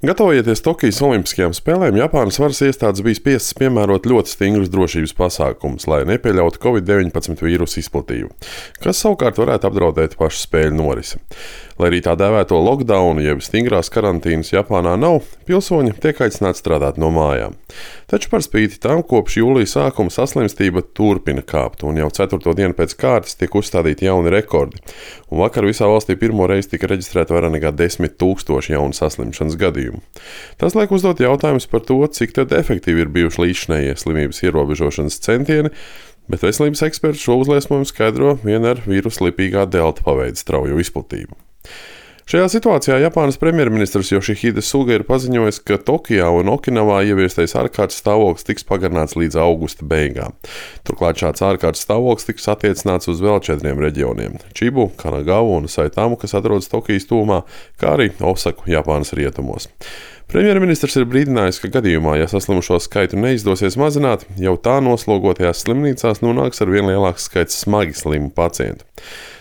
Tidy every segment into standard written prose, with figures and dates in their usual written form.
Gatavojoties Tokijas Olimpiskajām spēlēm, Japānas varas iestādes bija spiestas piemērot ļoti stingrus drošības pasākumus, lai nepieļautu Covid-19 vīrusu izplatību, kas savukārt varētu apdraudēt pašu spēļu norisi. Lai arī tā dēvēto lockdownu, jeb stingrās karantīnas Japānā nav, pilsoņi tiek aicināti strādāt no mājām. Taču par spīti tam kopš jūlija sākuma saslimstība turpina kāpt, un jau 4. dienu pēc kārtas tiek uzstādīti jauni rekordi. Un vakar visā valstī pirmo reizi tika reģistrēta vairāk nekā 10 000 jaunu saslimšanas gadījumu. Tas liek uzdot jautājumus par to, cik tad efektīvi ir bijuši līdzinējie slimības ierobežošanas centieni, bet veselības eksperti šo uzliesmojumu skaidro vien ar vīrusu lipīgā delta paveida straujo izplatību. Šajā situācijā Japānas premjerministrs Yoshihide Suga ir paziņojis, ka Tokijā un Okinavā ieviestais ārkārtas stāvoklis tiks pagarināts līdz augusta beigām. Turklāt šāds ārkārtas stāvoklis tiks attiecināts uz vēl 4 reģioniem – Čibu, Kanagavu un Saitamu, kas atrodas Tokijas tuvumā, kā arī Osaku, Japānas rietumos. Premjerministrs ir brīdinājis, ka gadījumā, ja saslimušo skaitu neizdosies mazināt, jau tā noslogotajās slimnīcās nonāks ar vien lielāks skaits smagi slimu pacientu.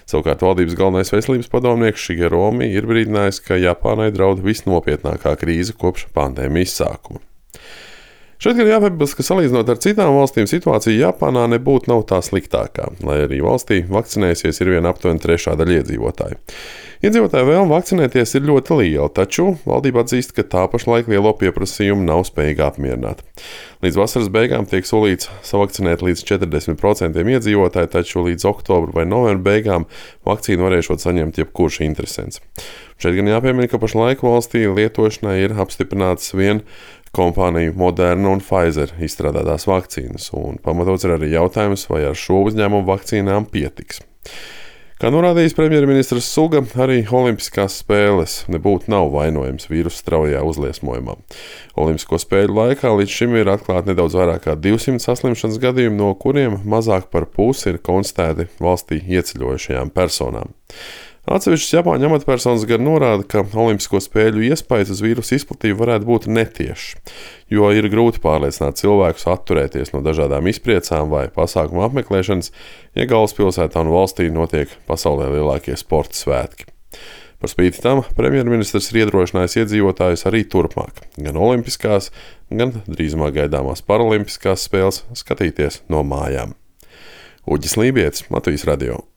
Savukārt valdības galvenais veselības padomnieks Shigeru Omi ir brīdinājis, ka Japānai draud visnopietnākā krīze kopš pandēmijas sākuma. Šeit gan jāpiebilst, ka salīdzinot ar citām valstīm, situācija Japānā nebūtu nav tā sliktākā, lai arī valstī vakcinējusies ir vien aptuveni 1/3 daļa iedzīvotāju. Iedzīvotāju vēlme vakcinēties ir ļoti liela, taču valdība atzīst, ka tā pašlaik lielo pieprasījumu nav spējīga apmierināt. Līdz vasaras beigām tiek solīts savakcinēt līdz 40% iedzīvotāju, taču līdz oktobra vai novembra beigām vakcīnu varēšot saņemt jebkurš interesents. Šeit gan jāpiemina, ka pašlaik valstī lietošanai ir apstiprināts vien kompāniju Moderna un Pfizer izstrādātās vakcīnas, un pamatots ir arī jautājums, vai ar šo uzņēmumu vakcīnām pietiks. Kā norādījis premjerministrs Suga, arī Olimpiskās spēles nebūtu nav vainojams vīrusu straujā uzliesmojumā. Olimpisko spēļu laikā līdz šim ir atklāti nedaudz vairāk kā 200 saslimšanas gadījumi, no kuriem mazāk par pusi ir konstatēti valstī ieceļojušajām personām. Atsevišķas Japāņu amatpersonas gan norāda, ka Olimpisko spēļu iespējas uz vīrusu izplatību varētu būt netiešas, jo ir grūti pārliecināt cilvēkus atturēties no dažādām izpriecām vai pasākumu apmeklēšanas, ja galvaspilsētā un valstī notiek pasaulē lielākie sporta svētki. Par spīti tam premjerministrs ir iedrošinājis iedzīvotājus arī turpmāk, gan olimpiskās, gan drīzumā gaidāmās paralimpiskās spēles skatīties no mājām. Uģis Lībietis, Latvijas radio.